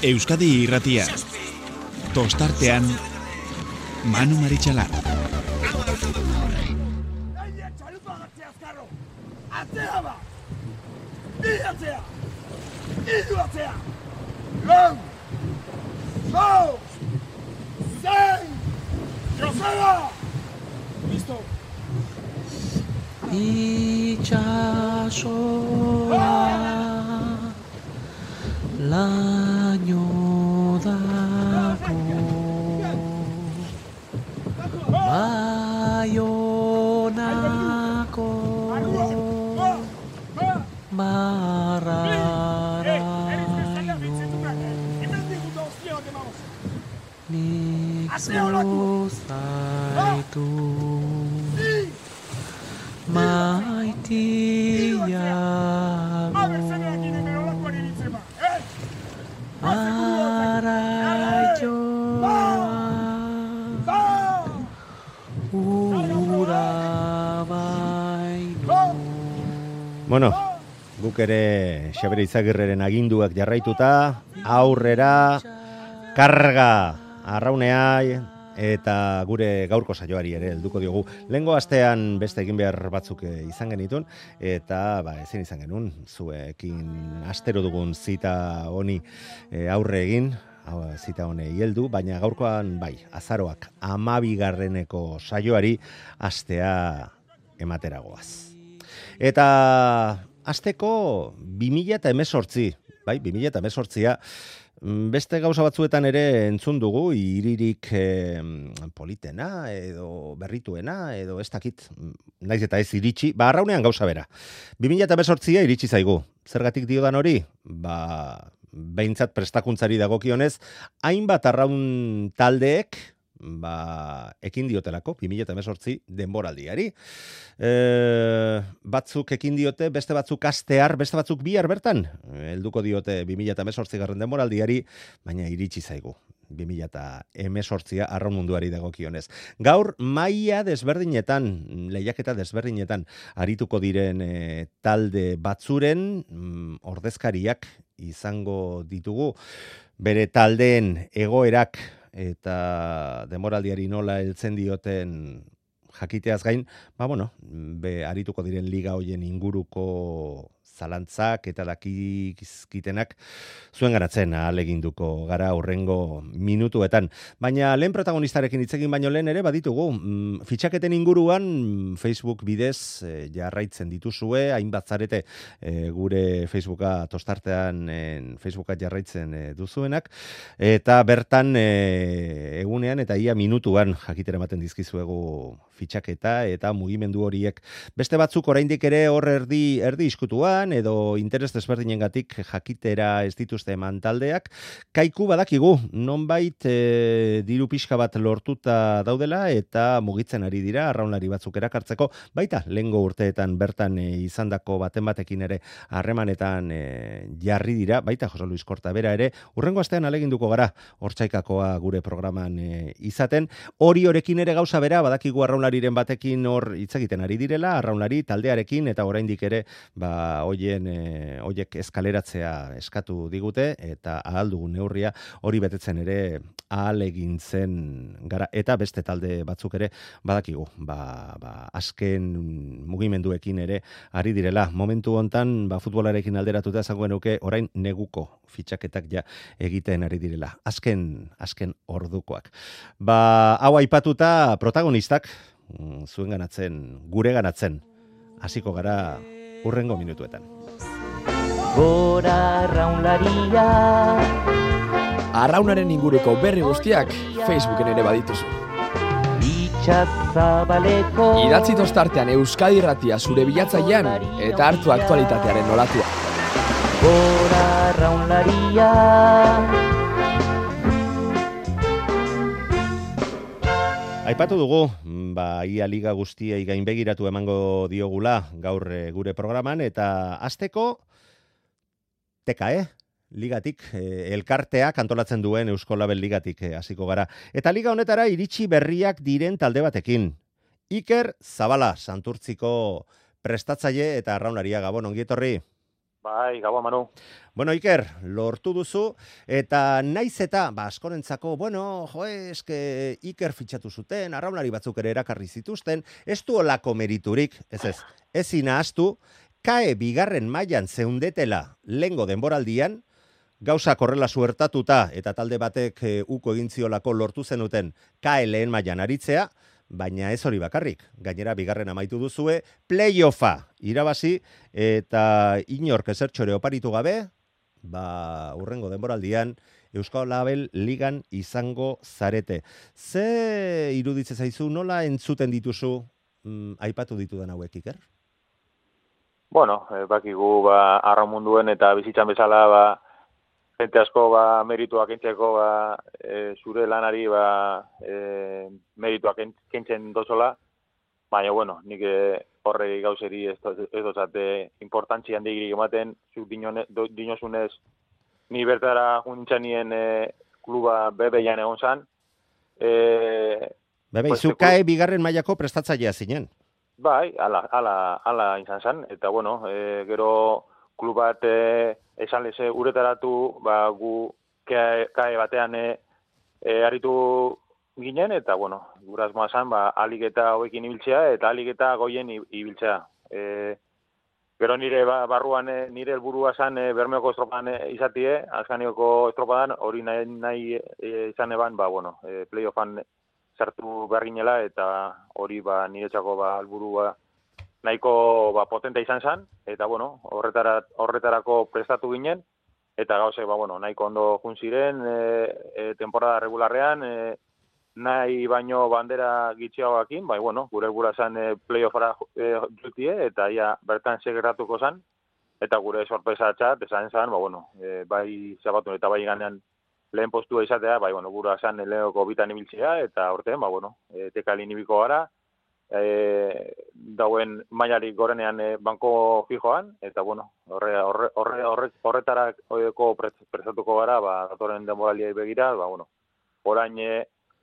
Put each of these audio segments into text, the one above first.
Euskadi Irratia. Tostartean Manu Maritxalar. Atzea ba! Atzea! Atzea! Lau! Zau! Zein! Joseba! Listo! Itxasoa laino dako Baionako marraraino nik zuzaitu maitiago araioa urabaino. Bueno, guk ere Xabere Izagirreren aginduak jarraituta, aurrera, karga, arraunea, eta gure gaurko saioari ere helduko diogu. Lehengo astean beste egin behar batzuk izan genitun, eta ezin izan genuen, zuekin astero dugun zita honi aurre egin, zita honei heldu, baina gaurkoan azaroak 12. saioari astea emateragoaz. Eta asteko 2018, 2018a, beste gauza batzuetan ere entzun dugu, iririk politena, edo berrituena, edo ez dakit, naiz eta ez iritsi, arraunean gauza bera. 2018a iritsi zaigu. Zergatik diodan hori? Behintzat prestakuntzari dagokionez, hainbat arraun taldeek, ekin diotelako, 2018 denboraldiari. Batzuk ekin diote, beste batzuk astear, beste batzuk bihar bertan. Helduko diote 2018 denboraldiari, baina iritsi zaigu. 2018 arraun munduari dagokionez. Gaur maila desberdinetan, lehiaketa desberdinetan arituko diren talde batzuren ordezkariak izango ditugu. Bere taldeen egoerak eta denboraldiari nola heltzen dioten jakiteaz gain, arituko diren liga hoien inguruko zalantzak eta dakizkitenak zuen garatzen ahaleginduko gara hurrengo minutuetan. Baina lehen protagonistarekin hitz egin baino lehen ere baditugu. Fitxaketen inguruan Facebook bidez jarraitzen dituzue, hainbat zarete gure Facebooka tostartean Facebooka jarraitzen duzuenak, eta bertan egunean eta ia minutuan jakitera ematen dizkizuegu fitxaketa eta mugimendu horiek. Beste batzuk oraindik ere hor erdi iskutuan edo interes desberdinengatik jakitera ez dituzte eman taldeak. Kaiku badakigu, nonbait diru pixka bat lortuta daudela eta mugitzen ari dira arraunlari batzuk erakartzeko, baita lehengo urteetan bertan izandako batekin ere harremanetan jarri dira, baita Jose Luis Korta bera ere, hurrengo astean aleginduko gara hortzaikakoa gure programan izaten. Horiekin ere gauza bera, badakigu arraunlariren batekin hor hitz egiten ari direla, arraunlari taldearekin, eta oraindik ere hoiek eskaleratzea eskatu digute, eta ahal dugun neurria hori betetzen ere ahalegintzen gara, eta beste talde batzuk ere badakigu, azken mugimenduekin ere ari direla. Momentu hontan, futbolarekin alderatuta esango genuke orain neguko fitxaketak ja egiten ari direla. Azken ordukoak. Hau aipatuta protagonistak, zuen ganatzen, gure ganatzen, hasiko gara hurrengo minutuetan. Gora arraunlaria. Arraunaren inguruko berri guztiak Facebooken ere badituzu. Itxazabaleko. Idatzi tostartean Euskadi Irratia zure bilatzailean eta hartu aktualitatearen nolatua. Gora arraunlaria. Aipatu dugu, ia liga guztiei gainbegiratu emango diogula gaur gure programan, eta hasteko TKE, ligatik, elkarteak antolatzen duen Eusko Label ligatik hasiko gara. Eta liga honetara iritsi berriak diren talde batekin. Iker Zabala, Santurtziko prestatzaile eta arraunaria. Gabon, ongi etorri. Bai, gabon, Manu. Bueno, Iker, lortu duzu, eta naiz eta, askorentzako, eske Iker fitxatu zuten, arraunlari batzuk ere erakarri zituzten, ez du olako meriturik, ezin ahaztu, kae bigarren mailan zeundetela lehengo denboraldian, gauzak horrela suertatuta, eta talde batek uko egin ziolako lortu zenuten kae lehen mailan aritzea, baina ez hori bakarrik. Gainera, bigarren amaitu duzue, playoffa irabazi, eta inork ezertxore oparitu gabe, urrengo denboraldian, Euskal Label ligan izango zarete. Ze iruditze zaizu, nola entzuten dituzu, aipatu ditudan hauek, Iker? Bueno, bakigu, arraun munduen eta bizitzan bezala, jente asko merituak kentzeko zure lanari merituak kentzen dozola, baina bueno, nik horrei gauzeri ez dozate importantzi handigirik ematen, zuk dinozunez ni bertara junintxanien kluba bebeian egon zan. Bebe, izukae bigarren mailako prestatzailea zinen. Bai, ala izan zan, eta bueno, gero klub bat esan leze uretaratu, gu kae batean aritu ginen, eta bueno, gurazmoa zan, alik eta hoekin ibiltzea, eta alik eta goien ibiltzea. Gero nire barruan, nire helburua zan Bermeoko estropadan izatie, Azkanioko estropadan, hori nahi izan eban, playoffan sartu behar ginela, eta hori niretzako helburua nahiko potente izan zen, eta bueno, horretarako prestatu ginen, eta gauze, nahiko ondo jun ziren, temporada regularrean, nahi baino bandera gitxiagoakin, gure helburua zen playoffara jutie, eta ia bertan segeratuko zen, eta gure sorpresa txat, esan zen, bai zabatun eta bai ganean lehen postua izatea, gura zen lehenoko bitan ibiltzea, eta horten, tekalin ibiko gara, dauen mailarik gorenean banko fijoan, eta horretarako prestatuko gara, datoren denboraliai begira, orain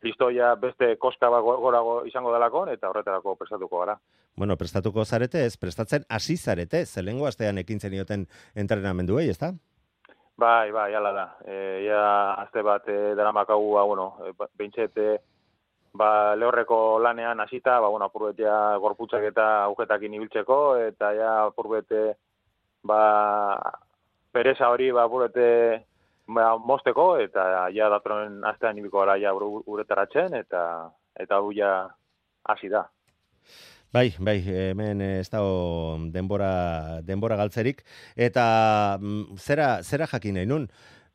listoia beste koska gorago izango delakon, eta horretarako prestatuko gara. Bueno, prestatuko zarete ez, prestatzen hasi zarete, zelengo astean ekin zenioten entrenamenduei, ez da? Bai, ala da. Aste bat daramakagu, behintzet, lehorreko lanean hasita, apurbetea gorputzak eta agujetakin ibiltzeko, eta apurbete, pereza hori, apurbete, mosteko, eta datoren astean ibiko gara uretaratzen, eta hau hasi da. Bai, hemen ez dago denbora galtzerik, eta zera jakin nahi nun?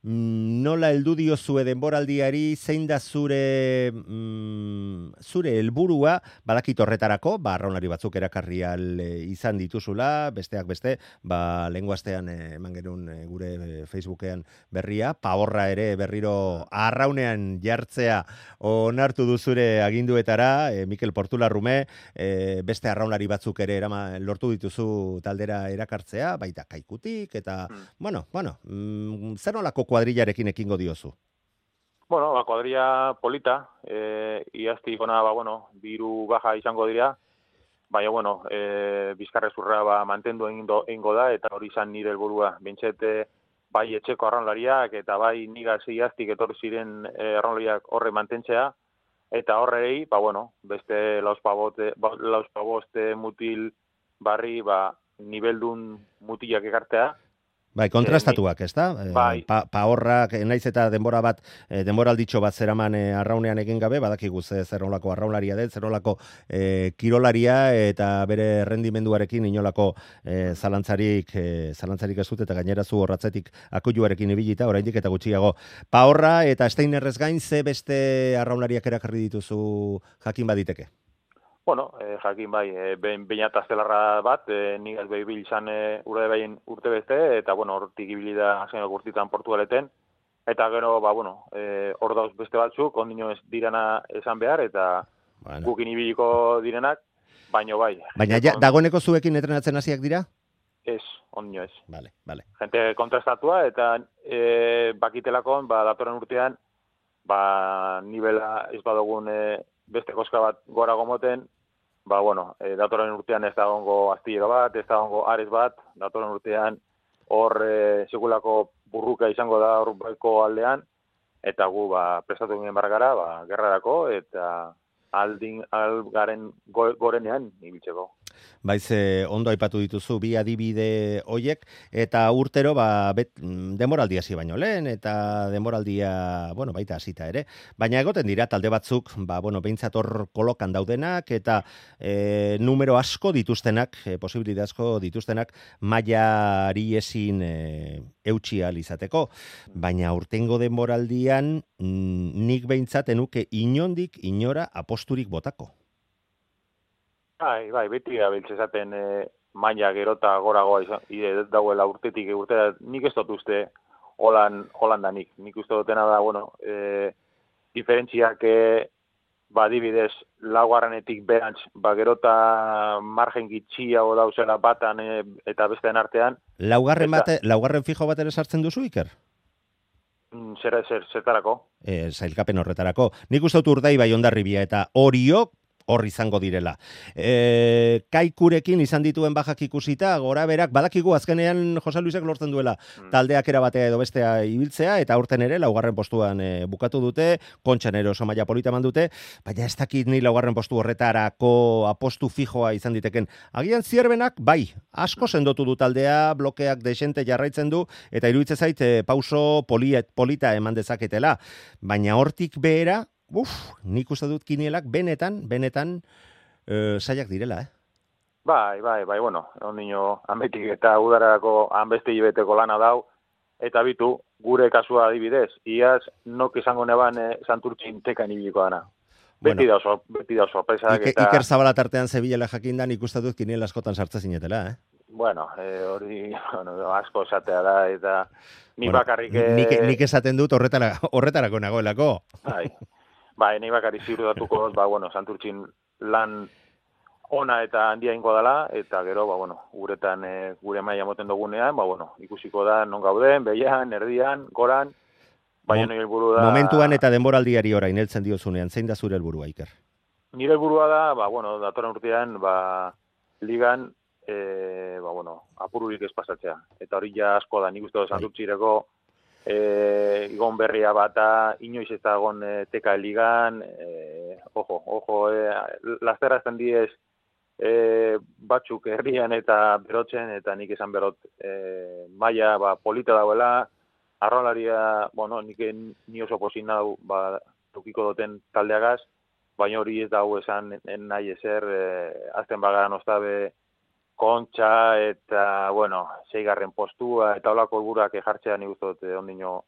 Nola heldu diozue denboraldiari, zein da zure helburua, badakit horretarako, arraunlari batzuk erakarri izan dituzula, besteak beste, lehengo astean eman genuen gure Facebookean berria, paorra ere berriro arraunean jartzea onartu duzure aginduetara, Mikel Portularrume, beste arraunlari batzuk ere lortu dituzu taldera erakartzea, baita Kaikutik, eta, zer nolako kuadrillarekin ekingo diozu? Kuadrilla polita, iaztik ona, biru baja izango dira, baina, bizkarrezurra mantendu egingo da, eta hori izan nire helburua. Bintzete, bai etxeko arraunlariak, eta bai nigaz iaztik etorri ziren arraunlariak horre mantentzea, eta horrei, beste lauspaboste mutil barri, nibeldun mutilak ekartea. Bai, kontrastatuak, ez da? Bai. Paorrak, naiz eta denboralditxo bat zeraman arraunean egin gabe, badakigu zer nolako arraunlaria den, zer nolako kirolaria, eta bere rendimenduarekin inolako zalantzarik ez dut, eta gainera zu horratzetik akuiluarekin ibilita, oraindik eta gutxiago. Paorra eta Steinerrez gain, ze beste arraunlariak erakarri dituzu jakin baditeke? Jakin bai, bainat aztelarra bat, nigaz behibil izan urte beste, eta hortik ibili da azkenak urtitan Portugaleten, eta gero, hor dauz beste batzuk, ondino ez dirana esan behar, eta gukin ibiliko direnak, baina bai. Baina dagoeneko zuekin entrenatzen hasiak dira? Ez, ondino ez. Vale. Gente kontrastatua, eta bakitelakon, datoren urtean, nivela ez badogun beste koska bat gora gomoten, datoren urtean ez dagoengo astillero bat, ez dagoengo ares bat, datoren urtean hor sekulako burruka izango da horbeko aldean, eta gu prestatu ginen bargara, gerrarako, eta algaren gorenean ibiltzeko. Baiz, ondo aipatu dituzu bi adibide hoiek, eta urtero denboraldia hasi baino lehen, eta denboraldia, baita hasita ere. Baina egoten dira talde batzuk, behintzat hor kolokan daudenak, eta numero asko dituztenak, posibilitate asko dituztenak, mailari ezin eutsi ahal izateko. Baina urtengo denboraldian, nik behintzat enuke inondik inora aposturik botako. Bai, beti gabiltz esaten maila gerota goragoa dauela urtetik urtera, nik ez dut uste Holandanik. Nik uste dutena da, diferentziak adibidez laugarrenetik berantz, gerota margen gitxiago dauzela batan eta besteen artean. Laugarren fijo bat ere sartzen duzu, Iker? Zertarako? Zailkapen horretarako. Nik uste dut Urdaibai, Hondarribia eta Oriok hor izango direla. Kaikurekin izan dituen bajak ikusita, gora berak, badakigu azkenean Jose Luisek lortzen duela taldeak erabatea edo bestea ibiltzea, eta aurten ere laugarren postuan bukatu dute, Kontxan ere oso maila polita eman dute, baina ez dakit ni laugarren postu horretarako apostu fijoa izan diteken. Agian Zierbenak, asko sendotu du taldea, blokeak desente jarraitzen du, eta iruditzen zait pauso polita eman dezaketela. Baina hortik behera, nik uste dut Kinielak benetan saiak direla, Bai, ondino ametik eta udararako hanbeste hilabeteko lana dau, eta bitu, gure kasua adibidez, iaz nok izango neban Santurtzin tekan ibiliko dana. Beti da sorpresak eta... Iker Zabala tartean Sevilla jakindan ikusten dut Kiniel askotan sartze zinetela, hori asko esatea da, eta nik bakarrik... Nik esaten dut horretarako nagoelako. Nahi bakarrik ziurtatuko, Santurtzin lan ona eta handia ingo dela, eta gero, guretan gure maila moten dugunean, ikusiko da non gauden, behian, erdian, goran, baina nire helburu da... Momentuan eta denboraldiari orain heltzen diozunean, zein da zure helburua, Iker? Nire helburua da, datorren urtean, ligan, apururik ez pasatzea. Eta hori ja asko da, nik uste dut Santurtzireko, igon berria bata, inoiz ez da egon teka ligan, lasterazten diez batzuk herrian eta berotzen, eta nik esan berot maila polita dauela, arrolaria, ni oso pozin nau, tukiko duten taldeagaz, baina hori ez dago esan nahi ezer, azten bagaran oztabe, Kontxa eta, 6. postua, eta holako helburuak jartzea nik uste dut ondino,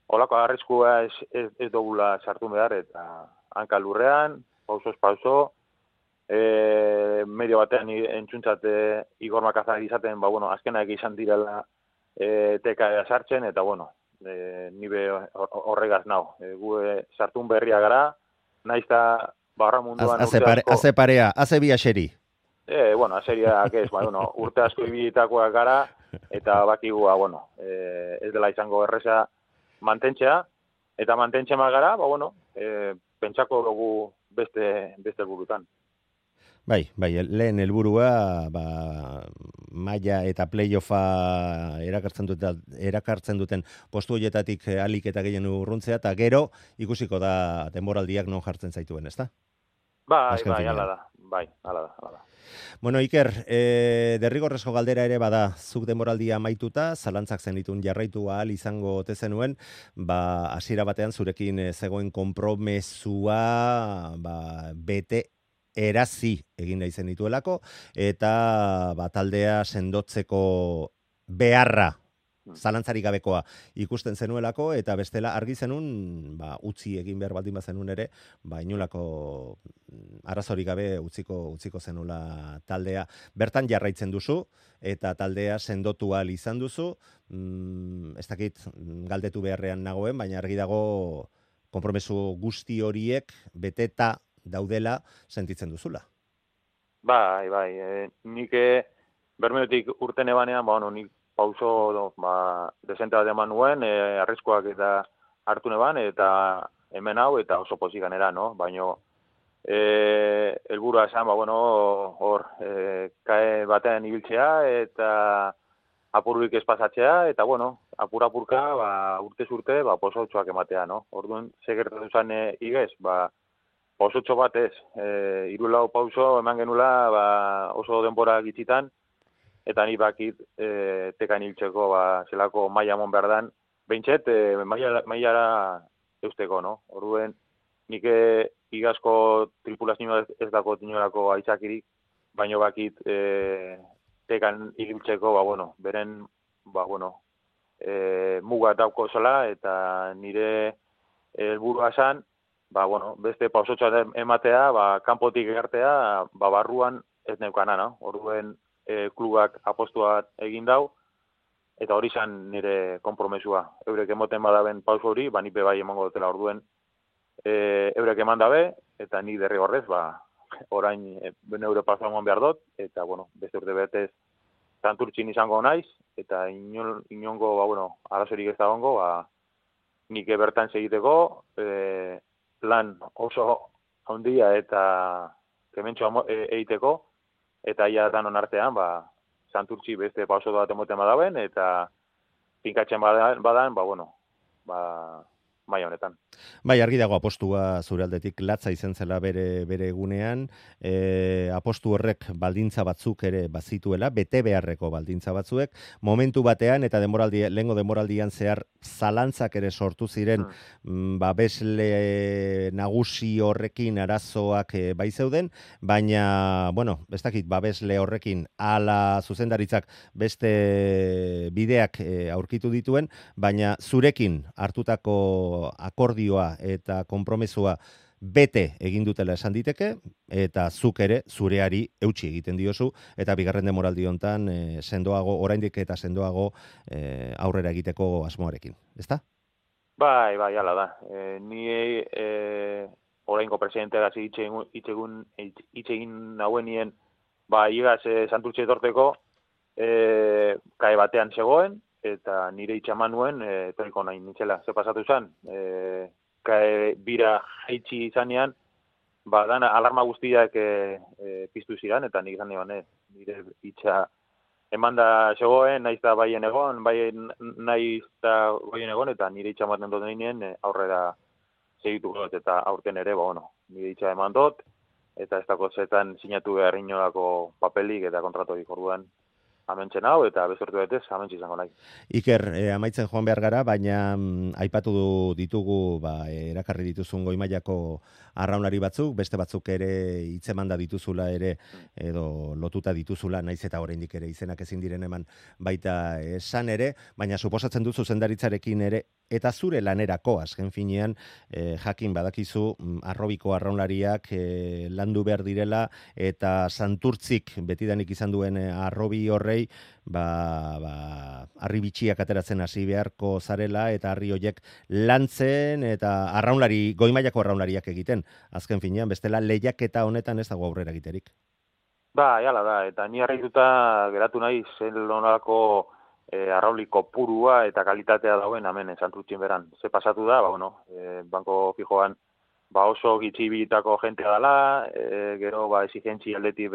holako arriskua ez dugula sartu behar, eta hanka lurrean, pausoz pauso, medio batean entzuntzat Igor Makazak izaten, azkenak izan direla teka sartzen, eta nibe horregaz nau. Gu sartun berria gara, naiz eta barra munduan urte asko... Haze parea, haze bi aseri. Aseriak ez, urte asko ibilitakoak gara, eta bakigu, ez dela izango erreza mantentzea, eta mantentzen gara, pentsako dugu beste helburutan. Bai, lehen helburua, maila eta playoffa erakartzen duten postu horietatik alik eta gehien urruntzea, eta gero ikusiko da denboraldiak non jartzen zaituen, ezta? Bai, hala da. Bueno, Iker, derrigorrezko galdera ere bada, zuk denboraldia amaituta, zalantzak zenitun jarraitu ahal izango ote zenuen, hasiera batean zurekin zegoen konpromesua bete erazi egin nahi zen dituelako, eta taldea sendotzeko beharra, zalantzarik gabekoa ikusten zenuelako, eta bestela argi zenun, utzi egin behar baldin bazenun ere, inolako arazorik gabe utziko zenula taldea. Bertan jarraitzen duzu, eta taldea sendotu ahal izan duzu, ez dakit galdetu beharrean nagoen, baina argi dago konpromesu guzti horiek beteta daudela sentitzen duzula. Bai, nik bermeotik urten ebanean, nik pauso desente bat eman nuen, arriskoak eta hartu neban, eta hemen hau, eta oso pozik ganera, baina helburua esan, hor, kae batean ibiltzea, eta apurrik espazatzea, eta bueno, apurka, urtez urte, posotxoak ematea, no? Orduan, segertatu zen igez, posotxo bat ez, 3-4 pauso eman genula, oso denbora gitzitan, eta ni bakit tekan hiltzeko, zelako maila mon behar dan, behintzet, mailara eusteko, no? Orduan, nik igazko tripulazioa ez dako tinolako aitzakirik, baino bakit tekan hiltzeko, beren, muga dauko zela, eta nire helburua zan, beste pausotxoa ematea, kanpotik egartea, barruan ez neukana, no? Orduen klubak apostua egin dau, eta hori zan nire konpromesua. Eurek emoten badaben pauso hori, nipe bai emango dutela orduen. Eurek eman dabe, eta nik derrigorrez, orain neure pausoa eman behar dut, eta, beste urte betez Santurtzin izango naiz, eta inongo, arazorik ez dagoengo, nik bertan segiteko, lan oso handia eta kementxo egiteko, eta ia danon artean, Santurtzi beste pauso bat emoten badaben, eta pinkatzen badan, maila honetan. Bai, argi dago apostua zure aldetik latza izen zela bere egunean, apostu horrek baldintza batzuk ere bazituela, bete beharreko baldintza batzuek, momentu batean eta lehengo denboraldian zehar zalantzak ere sortu ziren, babesle nagusi horrekin arazoak bai zeuden, baina, ez dakit, babesle horrekin ala zuzendaritzak beste bideak aurkitu dituen, baina zurekin hartutako akordioa eta konpromesua bete egin dutela esan diteke, eta zuk ere zureari eutsi egiten diozu, eta bigarren denboraldi hontan sendoago, oraindik eta sendoago aurrera egiteko asmoarekin, ezta? Bai, hala da. Ni oraingo presidenteagaz hitz egin nauenien, igaz Santurtzi etorteko, kae batean zegoen, eta nire itxaman nuen, etoriko nahi nintzela. Ze pasatu zen, bira jaitsi izanean, dana alarma guztiak piztu ziren, eta nik izan nire itxa emanda zegoen, naiz da baien egon, eta nire itxa ematen dut nien aurrera segituko dut, eta aurten ere, nire itxa eman dut, eta ez dako zetan sinatu behar inolako papelik eta kontratorik orduan. Amentzen hau, eta bezortu betez, amentsi izango nahi. Iker, amaitzen joan behar gara, baina aipatu ditugu, erakarri dituzun goi-mailako arraunlari batzuk, beste batzuk ere hitzemanda dituzula ere, edo lotuta dituzula, naiz eta oraindik ere izenak ezin diren eman baita esan ere, baina suposatzen duzu zendaritzarekin ere, eta zure lanerako, azken finean, jakin badakizu, arrobiko arraunlariak landu behar direla, eta Santurtzik betidanik izan duen arrobi horrei, harri bitxiak ateratzen hasi beharko zarela, eta harri hoiek lantzen, eta goi-mailako arraunlariak egiten. Azken finean, bestela lehiaketa honetan ez dago aurrera egiterik. Jala da, eta ni harrituta geratu nahi zen lonarako arrauli kopurua eta kalitatea dauen hemen Santurtzin beran. Ze pasatu da, banko fijoan oso gitxibilitako jentea dela, gero exigentzi aldetik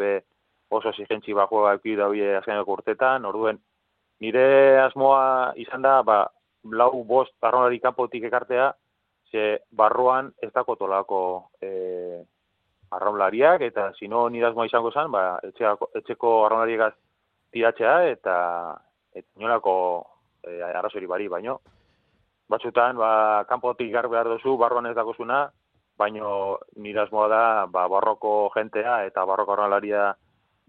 oso exigentzi joa eukid daue azkeneko urtetan, orduen nire asmoa izan da, 4-5 arraunlari kanpotik ekartea, ze barruan ez dako tolako arraunlariak, eta sino nire asmoa izango zen, etxeko arraunlariegaz tiratzea, eta inolako arrazori bari, baino. Batzutan, kanpotik gar behar duzu, barruan ez dakozuna, baino nire asmoa da, barroko jentea eta barroko arraunlaria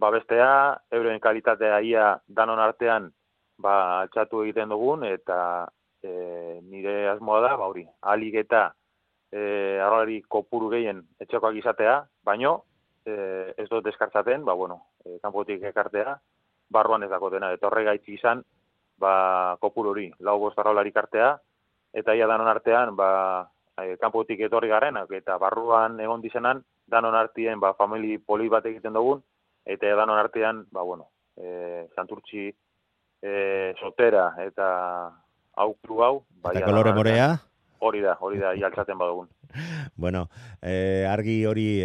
babestea, euren kalitatea ia danon artean altxatu egiten dugun, eta nire asmoa da, alik eta arraunlari kopuru gehien etxekoak izatea, baino ez dut deskartzaten, kanpotik ekartea, barruan ez dakotena, eta horregaitzi izan, kopuru hori, 4-5 arraunlari kartea, eta ia danon artean, kanpotik etorri garenak, eta barruan egon dizenan, danon artien, famili poli bat egiten dugun, eta danon artean, Santurtzi sotera, eta aukru hau. Eta kolore morea? Hori da, ialtzaten badugun. Bueno, argi hori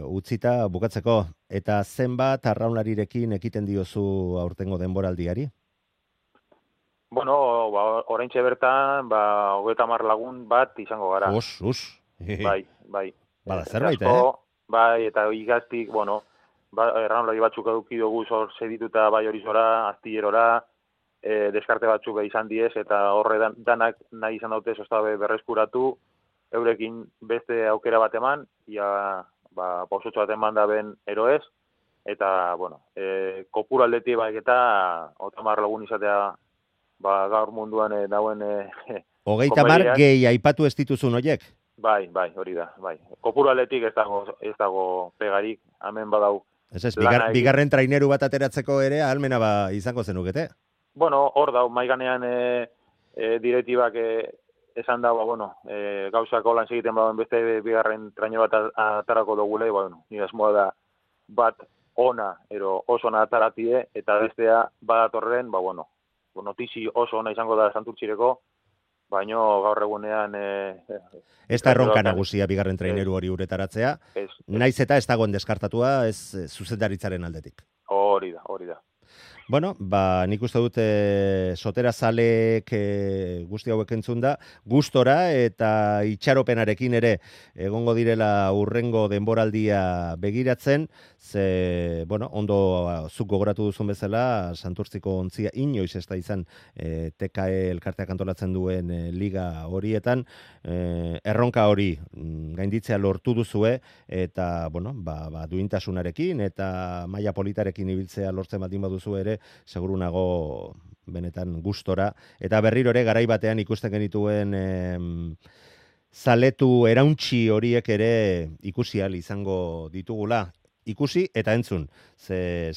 utzita, bukatzeko, eta zenbat arraunlarirekin ekiten diozu aurtengo denboraldiari? Bueno, oraintxe bertan, 30 lagun bat izango gara. Bai. Bada zerbait, Bai, eta igaztik, bueno, erranolari batzuk eduki dugu zor sedituta bai horizora, astillerora, deskarte batzuk izan diez, eta horre danak nahi izan daute zostabe berreskuratu, eurekin beste aukera bat eman, pausotxo bat eman da ben eroez, eta, bueno, kopuru aldetik baik eta 30 lagun izatea gaur munduan dauen 30 gehi aipatu ez dituzun horiek? Bai, hori da, bai. Kopuru aldetik ez dago pegarik, hemen badau. Ez, bigarren traineru bat ateratzeko ere ahalmena izango zenukete? Bueno, hor dau, maiganean direktibak esan da, gauzako lan segiten bauen beste bigarren traineru bat atarako dugule, nire asmoa da bat ona, oso ona ataratie, eta bestea badatorren, notizi oso ona izango da Santurtzireko, baino gaur egunean... Ez da erronka nagusia bigarren traineru hori uretaratzea, naiz eta ez dagoen deskartatua ez zuzendaritzaren aldetik. Hori da. Bueno, nik uste dut sotera zalek guzti hauek entzun da, gustora eta itxaropenarekin ere egongo direla urrengo denboraldia begiratzen, ze, ondo zuk gogoratu duzun bezala, Santurtziko ontzia inoiz ez da izan TKE elkarteak antolatzen duen liga horietan, erronka hori gainditzea lortu duzue, eta, duintasunarekin eta maila politarekin ibiltzea lortzen baldin baduzu ere, seguru nago benetan gustora, eta berriro ere garai batean ikusten genituen zaletu erauntxi horiek ere ikusi ahal izango ditugula. Ikusi eta entzun, ze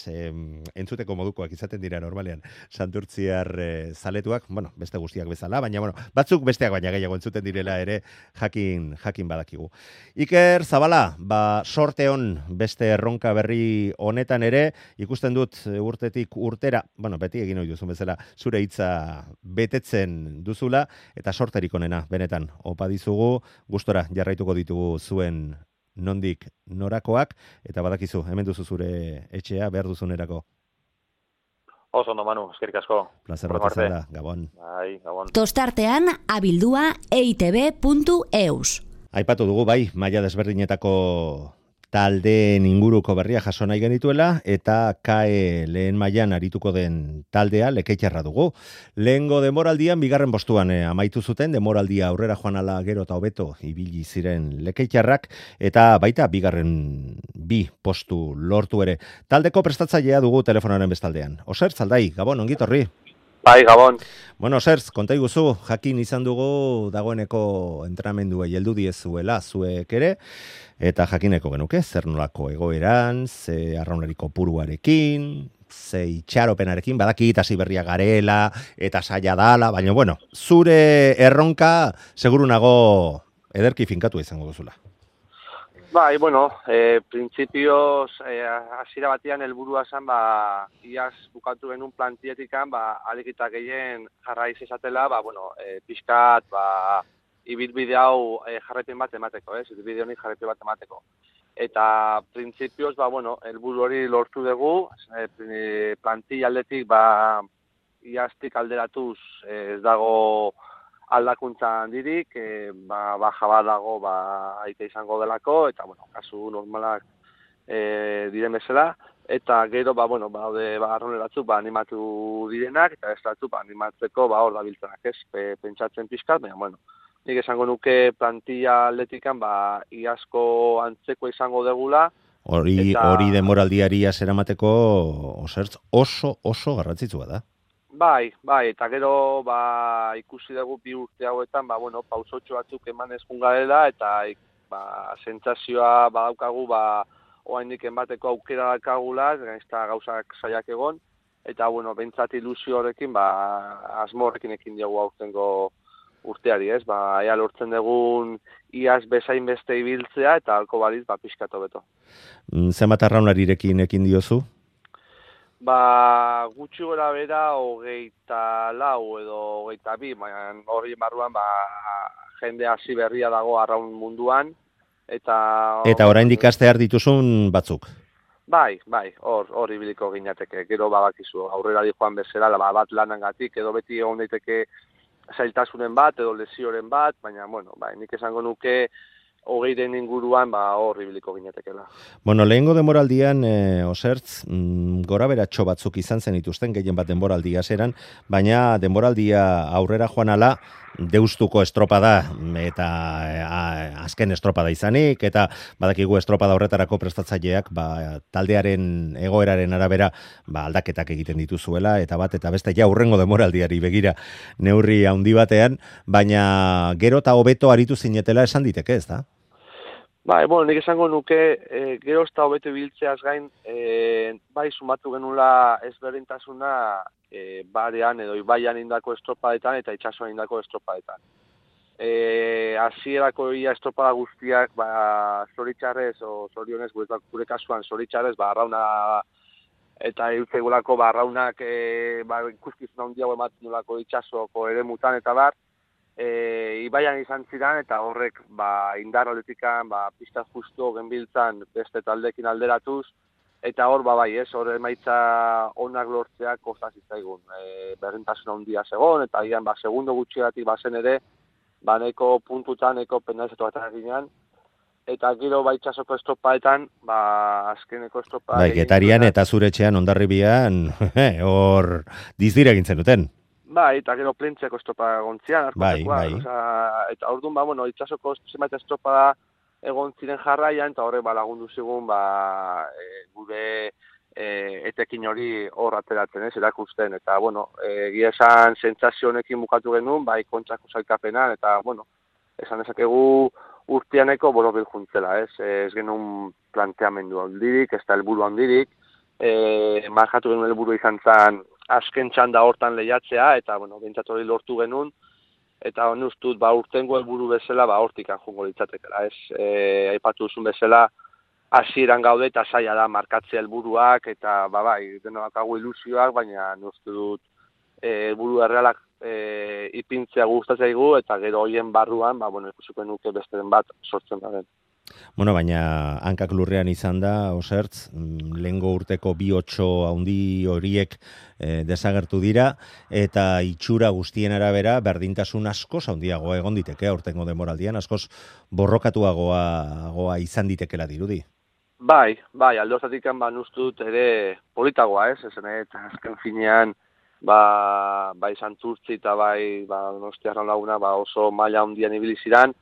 entzuteko modukoak izaten dira normalean santurtziar zaletuak, beste guztiak bezala, baina batzuk besteak baina gehiago entzuten direla ere jakin badakigu. Iker Zabala, sorte on beste erronka berri honetan ere, ikusten dut urtetik urtera, beti egin ohi duzun bezala, zure hitza betetzen duzula, eta sorterik onena, benetan, opa dizugu, gustora jarraituko ditugu zuen nondik norakoak, eta badakizu, hemen duzu zure etxea, behar duzunerako. Oso ondo, Manu, eskerrik asko. Plazer bat izan da, Gabon. Bai, Gabon. Tostartean, abildua eitb.eus. Aipatu dugu, maila desberdinetako taldeen inguruko berria jaso nahi genituela, eta KAE lehen mailan arituko den taldea Lekeitzarra dugu. Lehengo denboraldian, bigarren postuan amaitu zuten, denboraldia aurrera joan ala gero eta hobeto ibili ziren Lekeitzarrak, eta baita bigarren 2 postu lortu ere. Taldeko prestatzailea dugu telefonaren bestaldean. Osertz, Aldai, Gabon, ongitorri. Bai, Gabon. Bueno, Osertz, konta iguzu, jakin izan dugu dagoeneko entrenamenduei heldu diezuela zuek ere, eta jakineko genuke, zer nolako egoeran, ze arraunlariko puruarekin, ze itxaropenarekin, badaki hasi berria garela, eta saia dala, baina, zure erronka, seguru nago ederki finkatu izango duzula. Bai, printzipioz, hasiera batean helburua zen, iaz bukatu genuen plantietikan, alikita gehien jarraiz esatela, pixkat, ibilbide hau jarraipen bat emateko, ibilbide honi jarraipen bat emateko. Eta printzipioz, helburu hori lortu dugu, plantilla aldetik, iaztik alderatuz ez dago aldakuntza handirik, baja bat dago aite izango delako, eta, kasu normalak diren bezala, eta gero, baude arrone batzuk animatu direnak, eta ez batzuk animatzeko hor dabiltzenak, pentsatzen pixkat, baina, nik esango nuke plantilla atletikan, iazko antzeko izango degula. Hori denboraldiari eramateko oso garrantzitsua da. Bai, eta gero ikusi dugu 2 urte hauetan, pausotxo batzuk emanez jungarela, eta sentsazioa badaukagu, oraindik enbateko aukera dakagula, gainezta gauzak saiak egon, eta, bentsat ilusio horrekin, asmo horrekin ekin diogu aurtengo urteari, ea lortzen dugun iaz bezain beste ibiltzea, eta halko baliz, pixkatu beto. Zenbat arraunlarirekin ekin diozu? Gutxi gora bera 24 edo 22, hori barruan jende hasi berria dago arraun munduan, eta... Eta oraindik astear dituzun batzuk? Bai, hor ibiliko ginateke. Gero bakizu, aurrera joan bezala, bat lanangatik, edo beti egon daiteke zailtasunen bat, edo lesioren bat, baina, bai, nik esango nuke, 20 inguruan, hor ibiliko ginatekela. Bueno, lehengo denboraldian, Osertz, gora beratxo batzuk izan zen ituzten, gehien bat denboraldia zeran, baina denboraldia aurrera joan ala, deustuko estropada eta azken estropada izanik, eta badakigu estropada horretarako prestatzaileak taldearen egoeraren arabera aldaketak egiten dituzuela, eta beste ja hurrengo denboraldiari begira neurri handi batean, baina gero eta hobeto aritu zinetela esan diteke, ez da? Nik esango nuke, gero eta hobeto biltzeaz gain, bai sumatu genula ezberdintasuna barean edo ibaian indako estropadetan eta itsasoan indako estropadetan. Hasierako ia estropada guztiak, zoritxarrez, o zorionez, gure kasuan zoritxarrez, arrauna eta eutzeigulako arraunak ikuskizuna handiago ematen nolako itsasoko eremutan eta bar, ibaian izan ziren eta horrek indar aldetikan pista justu genbiltzan beste taldekin alderatuz, eta hor hor emaitza onak lortzeak kosta zitzaigun. Berdintasuna handia zegoen, eta gian segundo gutxigatik bazen ere, neko puntutan, neko penalizetu bat eginean, eta gero itxasoko estropaetan, azkeneko estropa... Getarian eta zure etxean Hondarribian, hor dizdira egintzen duten. Eta gero plentzeko estropa gontzian, eta orduan, itxasoko zenbait estropa egon ziren jarraian, eta horrek lagundu zigun, gure etekin hori hor ateratzen, erakusten, eta, egia esan sentsazio honekin bukatu genuen, kontrako sailkapenan, eta, esan dezakegu urteaneko borobil juntzela, ez genuen planteamendu handirik, ez da helburu handirik, markatu genuen helburu izan zen azken txanda hortan lehiatzea, eta, behintzat hori lortu genuen, eta ustut, urtengo helburu bezala, hortik anjungo litzatekela, ez, aipatu duzun bezala, hasieran gaude eta zaila da markatzea helburuak, eta, denok hau ilusioak, baina uste dut, helburu errealak ipintzea gustatzaigu, eta gero horien barruan, ikusiko nuke besteren bat sortzen da den. Baina hankak lurrean izan da, Osertz, lehengo urteko 2-8 handi horiek desagertu dira, eta itxura guztien arabera berdintasun askoz handiagoa egon diteke aurtengo denboraldian, askoz borrokatuagoa izan ditekela dirudi. Bai, alde hortatik uste dut ere politagoa, eta azken finean, Santurtzi eta Donostiarra laguna oso maila handian ibili ziren.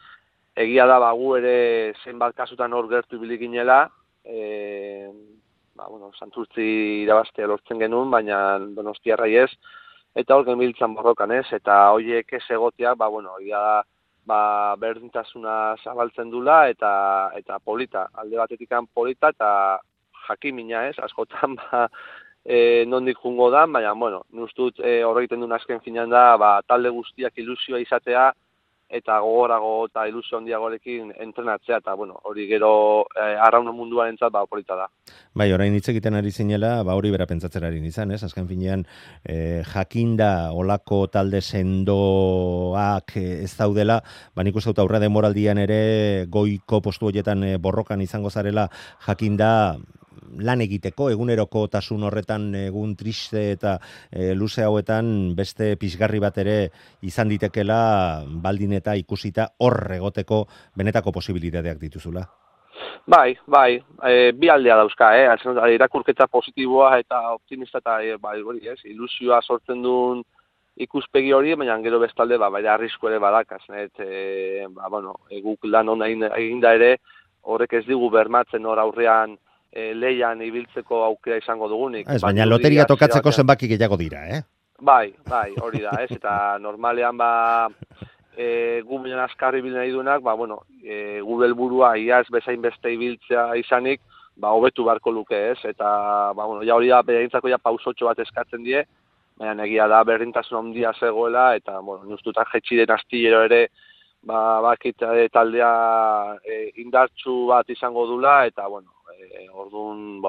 Egia da, gu ere zenbat kasutan hor gertu ibili ginela, Santurtzi irabaztea lortzen genuen, baina Donostiarrai ez, eta hor genbiltzan borrokan ez, eta horiek ez egotea, egia da, berdintasuna zabaltzen dula, eta polita, alde batetikan polita, eta jakimina ez, askotan, nondik jungo da, baina, nustut horregiten duen azken finean da, talde guztiak ilusioa izatea, eta gogorago eta ilusio handiagoarekin entrenatzea, eta hori gero arrauna munduaren entzat polita da. Orain hitz egiten ari zinela, hori bera pentsatzen ari nizan, azken finean jakinda olako talde sendoak ez daudela, nik uste dut aurre denboraldian ere goiko postu horietan borrokan izango zarela jakinda lan egiteko, eguneroko tasun horretan egun triste eta luze hauetan beste pizgarri bat ere izan ditekela baldin eta ikusita hor egoteko benetako posibilitateak dituzula. Bai, bi aldea dauzka, irakurketa positiboa eta optimista eta ilusioa sortzen duen ikuspegi hori, baina gero bestalde arrisku ere badakaz, guk lan hona eginda ere, horrek ez digu bermatzen hor aurrean leian ibiltzeko aukera izango dugunik. Baina loteria tokatzeko zenbaki gehiago dira, Bai, hori da, eta normalean gu bilan azkarri bilen nahi duenak, gure helburua iaz bezain beste ibiltzea izanik, hobetu beharko luke, eta hori da, behintzako pausotxo bat eskatzen die, baina egia da berdintasun handia zegoela, eta nustutak jetxiren astillero ere, taldea indartsu bat izango dula, eta orduan,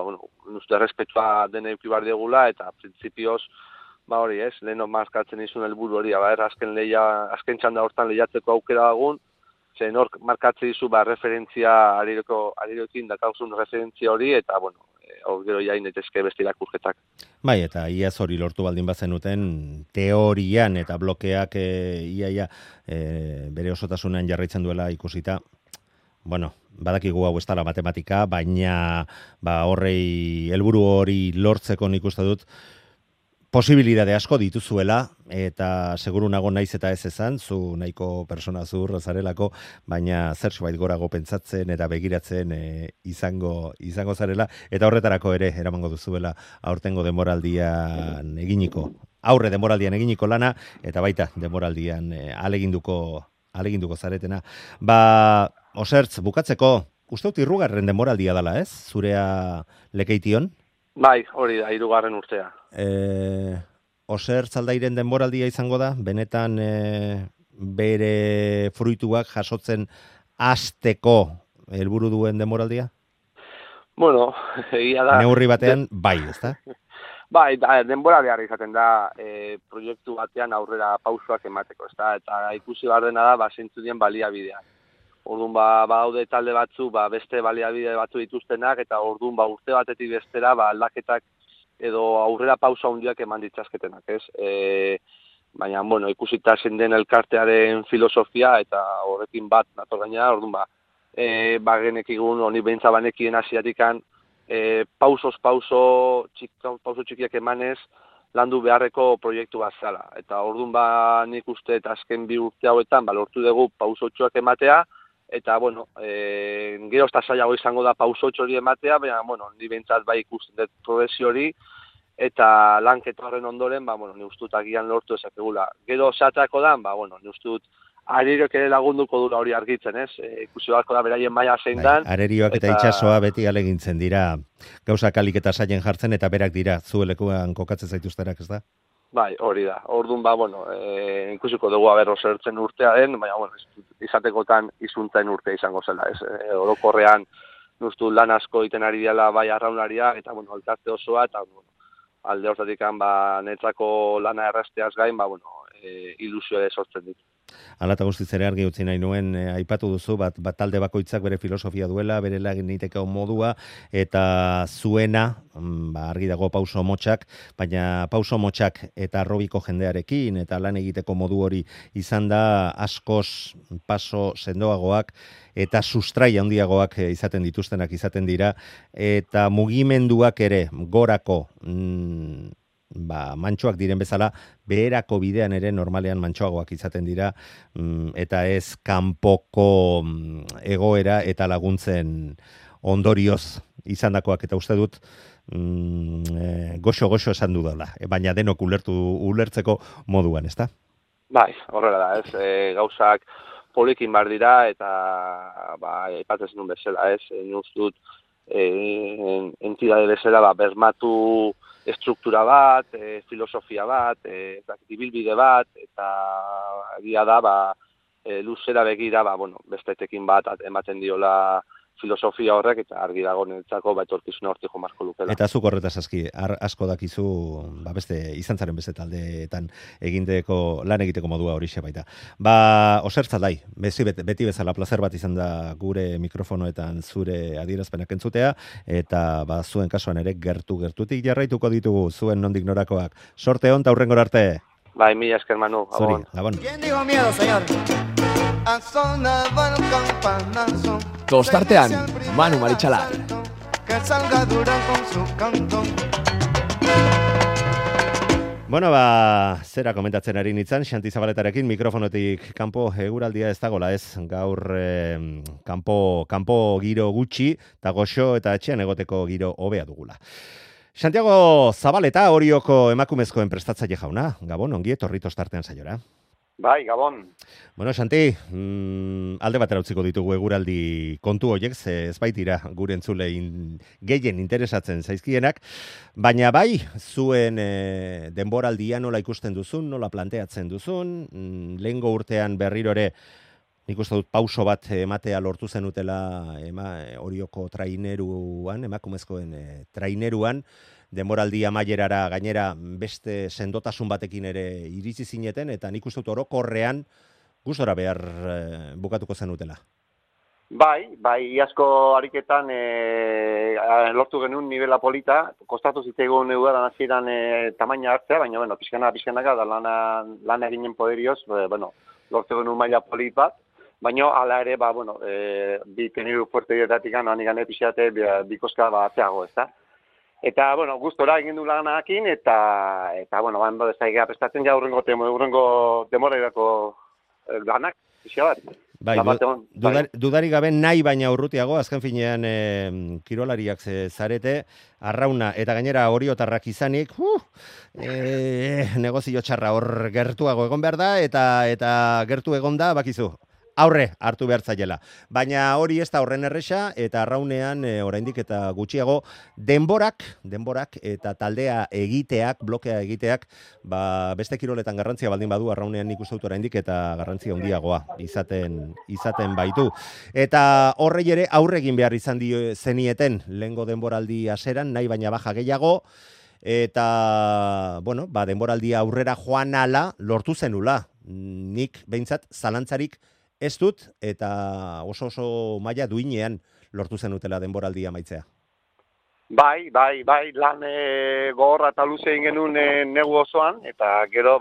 uste errespetua dene ikibar diegula, eta printzipioz, hori leheno markatzen izun helburu hori, azken txanda hortan lehiatzeko aukera dagun, zen hor markatzen izu referentzia arirokin dakauzun referentzia hori, eta hor gero jain daitezke beste irakurketak. Bai, eta iaz hori lortu baldin bazenuten, teorian eta blokeak iaia bere osotasunean jarraitzen duela ikusita, bueno, badakigu hau ez dela matematika, baina horrei helburu hori lortzeko nik uste dut, posibilitate asko dituzuela, eta seguru nago naiz eta ez esan, zu nahiko persona zur zarelako, baina zerbait gorago pentsatzen eta begiratzen izango zarela, eta horretarako ere eramango duzuela aurtengo denboraldian aurre denboraldian eginiko lana, eta baita denboraldian aleginduko zaretena. Osertz, bukatzeko, uste dut 3. denboraldia dela, ez? Zurea Lekeition? Bai, hori da, 3. urtea. Osertz Aldairen denboraldia izango da, benetan bere fruituak jasotzen hasteko helburu duen denboraldia? Bueno, egia da. Neurri batean, bai, ezta? Bai, denboraldia izaten da proiektu batean aurrera pausoak emateko, ezta? Eta ikusi behar dena da, zeintzu dien baliabideak. Orduan, daude talde batzu, beste baliabide batzu dituztenak, eta orduan, urte batetik bestera, aldaketak edo aurrera pausa handiak eman ditzazketenak, ez? Baina, bueno, ikusita zein den elkartearen filosofia, eta horrekin bat nator gaina, orduan, genekigun, honi behintza banekien hasiatikan, pauso txikiak emanez, landu beharreko proiektu bat zala. Eta orduan, nik uste, eta azken 2 urte hauetan, lortu dugu pausotxoak ematea, eta, bueno, gero ez da zailago izango da pausotxo hori ematea, baina, bueno, ni behintzat bai ikusten dut progresio hori, eta lanketa horren ondoren, ni ustut agian lortu ezakegula. Gero zehatzako da, ni ustut arirok ere lagunduko dura hori argitzen, ez? Ikusi beharko da beraien maila zein dan. Arerioak eta itsasoa beti alegintzen dira, gauzak alik eta saien jartzen, eta berak dira, zuelekuan kokatzen zaituzterak, ez da? Bai, hori da. Orduan, ikusiko dugu Osertzen urtea den, baina, izatekotan izuntzen urtea izango zela, ez? Orokorrean, nustu lan asko iten ari dela bai arraunlaria, eta, elkarte osoa, eta, alde hortatik netzako lana errazteaz gain, ilusio ere sortzen ditu. Hala eta guztiz ere argi utzi nahi nuen, aipatu duzu, bat talde bakoitzak bere filosofia duela, bere laginiteko modua, eta zuena, argi dago pauso motxak, baina pauso motxak eta arrobiko jendearekin, eta lan egiteko modu hori izan da askoz paso sendoagoak, eta sustrai handiagoak izaten dituztenak izaten dira, eta mugimenduak ere gorako mantxoak diren bezala, beherako bidean ere normalean mantxoagoak izaten dira, eta ez kanpoko egoera eta laguntzen ondorioz izandakoak, eta uste dut goxo esan dudala, baina denok ulertzeko moduan, ezta? Bai, horrela da, ez, gauzak polikin bar dira, eta aipatzen nuen bezala, ez, nuztut entidade bezala bermatu estruktura bat, filosofia bat, ibilbide bat, eta egia da, luzera begira, bestetekin bat ematen diola filosofia horrek, eta argi dago netzako etorkizuna hortik jo marko lukela. Eta zuk horretaz asko dakizu, beste izan zaren beste taldeetan lan egiteko modua horixe baita. Osertz Aldai, beti bezala plazer bat izan da gure mikrofonoetan zure adierazpenak entzutea, eta zuen kasuan ere gertutik jarraituko ditugu zuen nondik norakoak. Sorte hon, ta hurrengora arte. Bai, mila esker Manu. Zuri, Gabon. ¿Quién dijo miedo, señor? Tostartean, Manu Maritxalar. Que salga Durán con su canto. Bueno, zera komentatzen ari nintzen, Xanti Zabaletarekin mikrofonotik kanpo eguraldia ez dagoela, ez? Gaur kanpo giro gutxi, eta goxo eta etxean egoteko giro hobea dugula. Santiago Zabaleta, Orioko emakumezkoen prestatzaile jauna. Gabon, ongi etorri Tostartean saiora. Bai, Gabon. Bueno, Xanti, alde batera utziko ditugu eguraldi kontu horiek, ez baitira gure entzule gehien interesatzen zaizkienak, baina bai, zuen denboraldia nola ikusten duzun, nola planteatzen duzun, lehengo urtean berriro ere, nik uste dut pauso bat ematea lortu zenutela Orioko traineruan, emakumezkoen traineruan, denboraldi amaierara gainera beste sendotasun batekin ere iritsi zineten, eta nik uste dut orokorrean gustora behar bukatuko zenutela. Bai, iazko ariketan lortu genuen nivela polita, kostatu zitzaigun udaran hasieran tamaina hartzea, baina, bueno, pixkanaka, da lan eginen poderioz, lortu genuen maila polit bat, baina, hala ere, bi teniru fuerte dietatik anik gane pixate, bikoska batzeago, ez da? Eta, gustora egin du lanakin, eta bando ez da egia prestatzen ja urrengo demorerako lanak, pixka bat. Bai, dudari gabe nahi baina urrutiago, azken finean kirolariak zarete, arrauna eta gainera oriotarrak izanik, negozio txarra hor gertuago egon behar da, eta gertu egon da, bakizu. Aurre hartu behar zaiela. Baina hori ez da horren erresa, eta arraunean oraindik eta gutxiago denborak eta taldea egiteak, blokea egiteak, beste kiroletan garrantzia baldin badu, arraunean nik uste dut oraindik eta garrantzia handiagoa izaten baitu. Eta horrei ere aurre egin behar izan zenieten lehengo denboraldi haseran, nahi baina baja gehiago, eta, denboraldia aurrera joan ala lortu zenula. Nik behintzat zalantzarik ez dut, eta oso maila duinean lortu zenutela denboraldia amaitzea. Bai, lan gogorra eta luze egin genuen negu osoan, eta gero,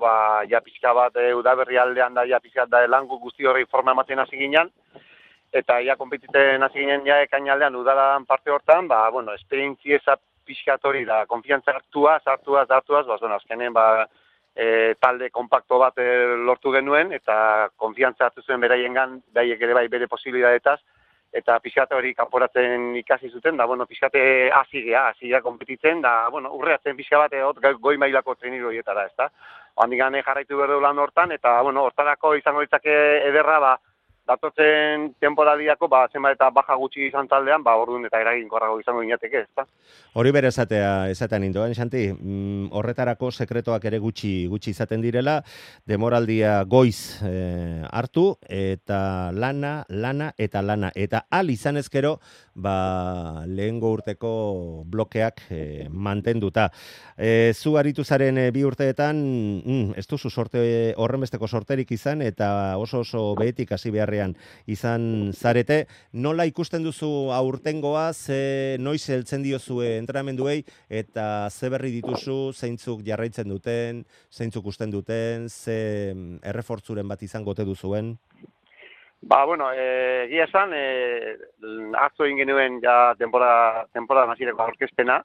pixka bat udaberri aldean da, pixka da lan guzti horri forma ematen hasi ginen, eta konpetiten hasi ginen ekainaldean udaran parte hortan, esperientzieza pixka hori da, konfiantza hartuaz, azkenen, talde kompakto bat lortu genuen, eta konfiantza hartu zuen beraiengan, daiek ere bai bere posibilitateetaz, eta pixkate hori kanporatzen ikasi zuten, da, pixkate hasi gea konpetitzen, da, urreatzen pixka bat goi mailako treniru horietara, ez da. Handik gane jarraitu berdu lan hortan, eta, hortarako izango ditzake ederra, datotzen temporaliako, zenbat eta baja gutxi izan taldean, orduan eta eraginkorrago izango inateke, ez da. Hori bere esatean indoan, Xanti, horretarako sekretoak ere gutxi izaten direla, demoraldia goiz hartu, eta lana, eta al izan ezkero, lehengo urteko blokeak mantenduta. Zu aritu zaren bi urteetan, ez duzu horrenbesteko sorterik izan, eta oso behetik hasi beharrean izan zarete. Nola ikusten duzu aurtengoa, noiz heltzen diozue entrenamenduei, eta ze berri dituzu, zeintzuk jarraitzen duten, zeintzuk usten duten, ze errefortzuren bat izango ote duzuen? Egia esan, atzo egin genuen temporada nazireko aurkezpena,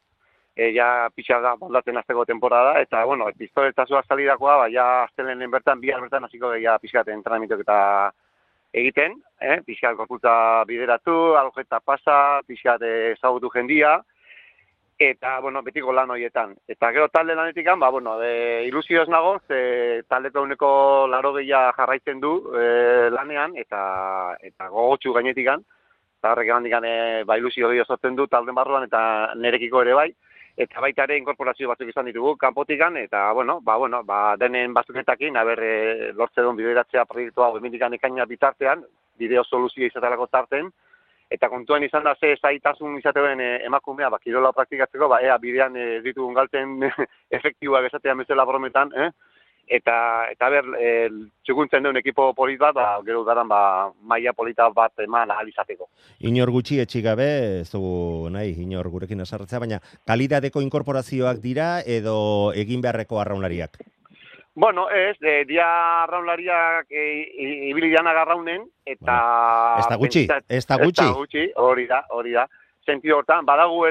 pixar da moldatzen azteko temporada, eta, pistoletazoa salidakoa, astelenen bihar bertan hasiko pixkat entrenamentok eta egiten, pixkat gorputza bideratu, alojeta pasa, pixkat ezagutu jendia, eta, betiko lan horietan. Eta gero talde lanetik, ilusioz nago, taldeko uneko 80 jarraitzen du lanean, eta gogotsu gainetik, eta horrek handikan ilusio gehiago sortzen du talden barruan, eta nerekiko ere bai, eta baita ere inkorporazio batzuk izan ditugu kanpotikan, eta, denen batzuketakin, lortze duen bideratzea proiektua emendikan ekaina bitartean, bideo soluzio izaterako tarten, eta kontuan izan da ze zaitasun izateuen emakumea, kirola praktikatzeko, ea bidean ditugun galten efektiboak esatean bezala brometan, eta txukuntzen duen ekipo polit bat, gero udaran maila polita bat eman ahal izateko. Inor gutxi etxi gabe, ez dugu nahi, inor gurekin asarratzea, baina kalidadeko inkorporazioak dira edo egin beharreko arraunlariak? Dia arraunlariak ibili dianak arraunen, eta... Ez da gutxi? Hori da. Sentido hortan, baditugu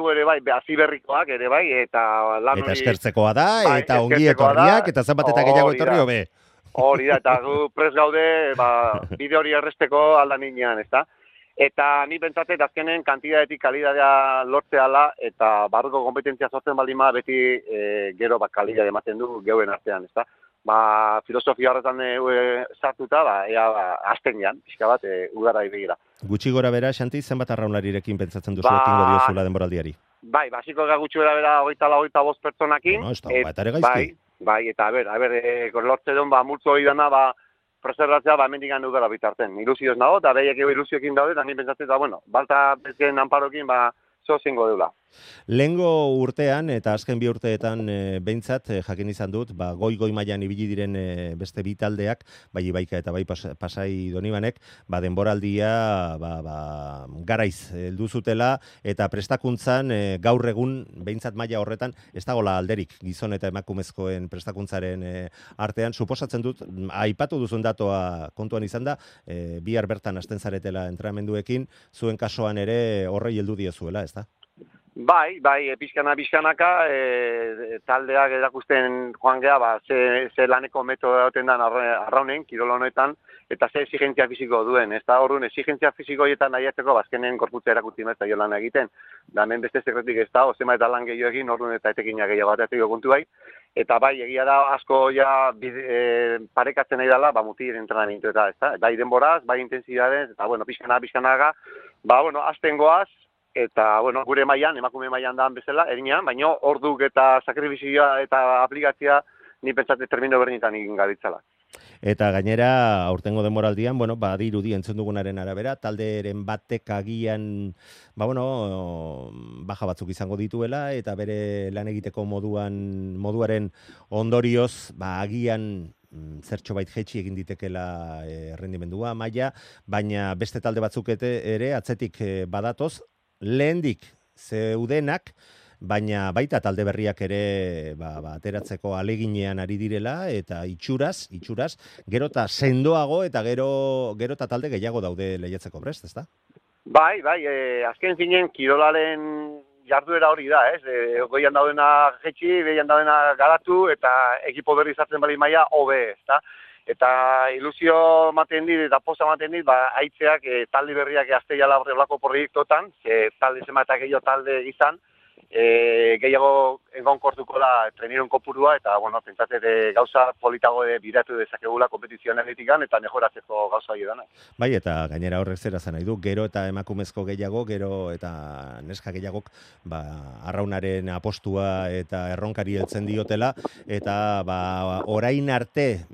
ere bai, aziberrikoak ere bai, eta lan hori... Eta eskertzekoa da, eta ongi etorriak, eta zenbat eta gehiago etorri hobe. Hori da, eta gu prest gaude, bide hori erresteko aldan inean, ez da? Eta ni pentsatet azkenen kantidadetik kalidadea lortzeala, eta barruko kompetentzia sortzen baldin beti gero kalidade ematen du geuen artean, ez da? Filosofia horretan sartuta, ea azten jan, pixka bat, udara begira. Gutxi gora bera, Xanti, zenbat arraunlarirekin pentsatzen duzu ekingo diozula denboraldiari? Basiko gutxi gora bera 25 pertsonakin. Eta ere gaizki. Eta lortze duen, multzo hori dana, preservatzea, hemendikan udara bitarten. Ilusioz nago, eta behiek ilusioekin daude, eta ni pentsatzen, balta bezken anparokin, zingo deula. Lehengo urtean eta azken bi urteetan behintzat jakin izan dut, goi mailan ibili diren beste bi taldeak, bai Ibaika eta bai Pasai Donibanek, denboraldia garaiz heldu zutela eta prestakuntzan gaur egun behintzat maila horretan ez dagoela alderik gizon eta emakumezkoen prestakuntzaren artean. Suposatzen dut, aipatu duzun datoa kontuan izan da, bihar bertan hasten zaretela entrenamenduekin, zuen kasuan ere horrei heldu diezuela, ezta? Bai, pixkanaka, taldeak erakusten joan geha, ze laneko metodo dauten dan arraunen, kirol honetan, eta ze exigentzia fisiko duen. Ez da horren exigentzia fisikoietan nahiatzeko, bazkenen korputza erakutzi mezta jo lan egiten. Da hemen beste sekretik ez da, ozema eta lan gehiago egin, horren eta etekinak gehiago batetik kontu bai. Eta bai, egia da asko ja parekatzen nahi dela, mutil entrenamentu eta ez da. Bai denboraz, bai intensidades, eta pixkanaka, azten goaz, eta, gure mailan, emakume mailan daan bezala, erinean, baina orduk eta sakrifizioa eta aplikatzia ni pentsate termino bernitan egin gabitzala. Eta gainera, aurtengo denboraldian, badirudi entzun dugunaren arabera, talderen batek agian, baja batzuk izango dituela, eta bere lan egiteko moduaren ondorioz, agian zertxo bait jetxi egin ditekela errendimendua, maila, baina beste talde batzuk ere atzetik badatoz, lehendik zeudenak, baina baita talde berriak ere ateratzeko aleginean ari direla, eta itxuraz, gero eta sendoago eta gero eta talde gehiago daude lehiatzeko prest, ezta? Bai, azken zinen kirolaren jarduera hori da, ez? Goian daudena jetxi, behian daudena garatu, eta ekipo berri zartzen bali maila hobe, ezta? Eta ilusio ematen dit, eta poza ematen dit, haitzeak talde berriak azteiala horrelako proiektotan, talde zema eta gehiago talde izan, gehiago engonkortuko da treniron kopurua, eta, pentsate gauza politago biratu dezakegula kompetizioan egitikan, eta mejoratzeko gauza hori dana. Bai, eta gainera horrek zera zen nahi du, gero eta emakumezko gehiago, gero eta neska gehiagok, arraunaren apostua eta erronkari heltzen diotela, eta orain arte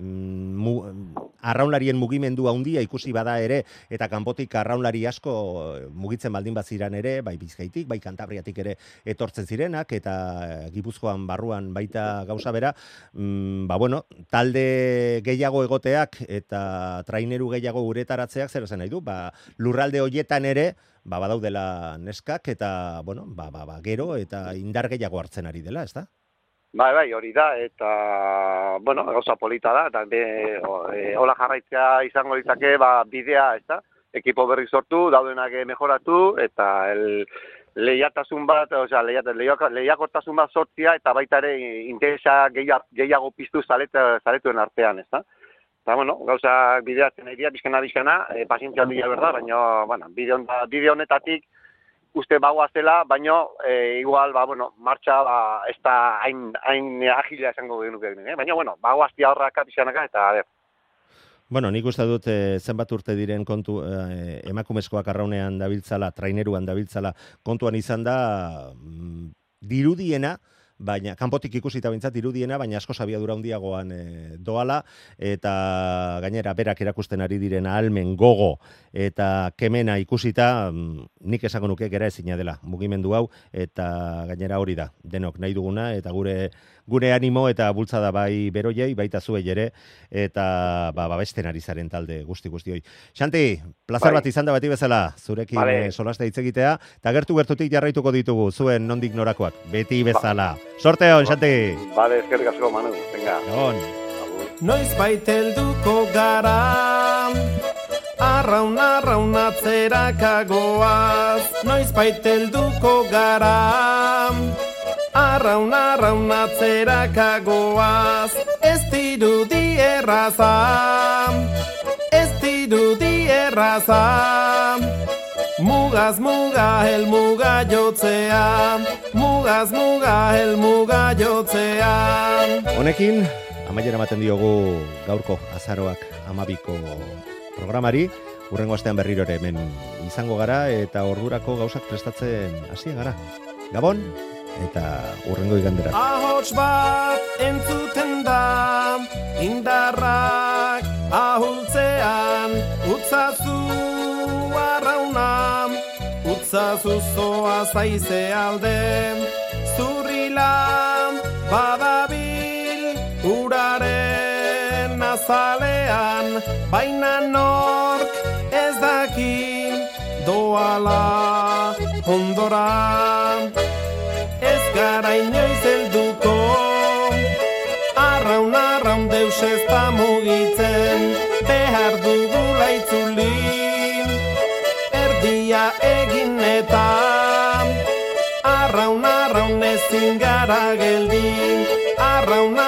arraunlarien mugimendua handia ikusi bada ere, eta kanpotik arraunlari asko mugitzen baldin baziran ere, bai Bizkaitik, bai Kantabriatik ere etortzen zirenak, eta Gipuzkoan barruan baita gauza bera, talde gehiago egoteak eta traineru gehiago uretaratzeak zer esan nahi du, lurralde hoietan ere, badaudela neskak, eta, gero eta indar gehiago hartzen ari dela, ezta? Bai, hori da, eta, gauza polita da, eta hola jarraitzea izango ditzake, bidea, ezta? Ekipo berri sortu, daudenak mejoratu, eta lehiatasun bat, lehiakortasun bat sortzia, eta baita ere interesa gehiago piztu zaletuen artean, ezta? Eta, gauza bideatzen nahi dira, bizkana, pazientzia handia berda, baina, bide honetatik, uste bagoazela, baina, igual, martxa ez da hain agilea esango genuke, baina, bagoaztia horraka, bizkanaka, eta, nik uste dut zenbat urte diren kontu emakumezkoak arraunean dabiltzala, traineruan dabiltzala kontuan izan da dirudiena, baina kanpotik ikusita bintzat dirudiena, baina asko abiadura handiagoan doala, eta gainera berak erakusten ari diren ahalmen gogo eta kemena ikusita, nik esango nuke gera ezina dela mugimendu hau, eta gainera hori da, denok nahi duguna, eta gure animo eta bultzada bai beroiei, baita zuei ere, eta babesten ari zaren talde guzti hoi. Xanti, plazar bat izan da beti bezala, zurekin solaste hitz egitea, eta gertutik jarraituko ditugu, zuen nondik norakoak, beti bezala. Sorte hon, Xanti! Bale, eskerrik asko, Manu, venga. Egon. Noiz baitelduko gara, arraun-arraunatzerak noiz baitelduko gara, arraun-arraunatzerak ez dirudi erraza, Mugaz muga helmuga jotzea, mugaz muga helmuga jotzea. Honekin, amaiera ematen diogu gaurko azaroak 12ko programari, hurrengo astean berriro ere hemen izango gara, eta ordurako gauzak prestatzen hasia gara. Gabon, eta hurrengo igandera. Ahots bat entzuten da, indarrak ahultzean, utzazu arrauna, utza zuzoa zaize alde, zurrila badabil uraren azalean, baina nork ez daki doala ondora. Ez gara inoiz helduko, arraun deus ez da mugitzen, behar dugula itzuli, erdia egin eta arraun ezin gara geldi, arraun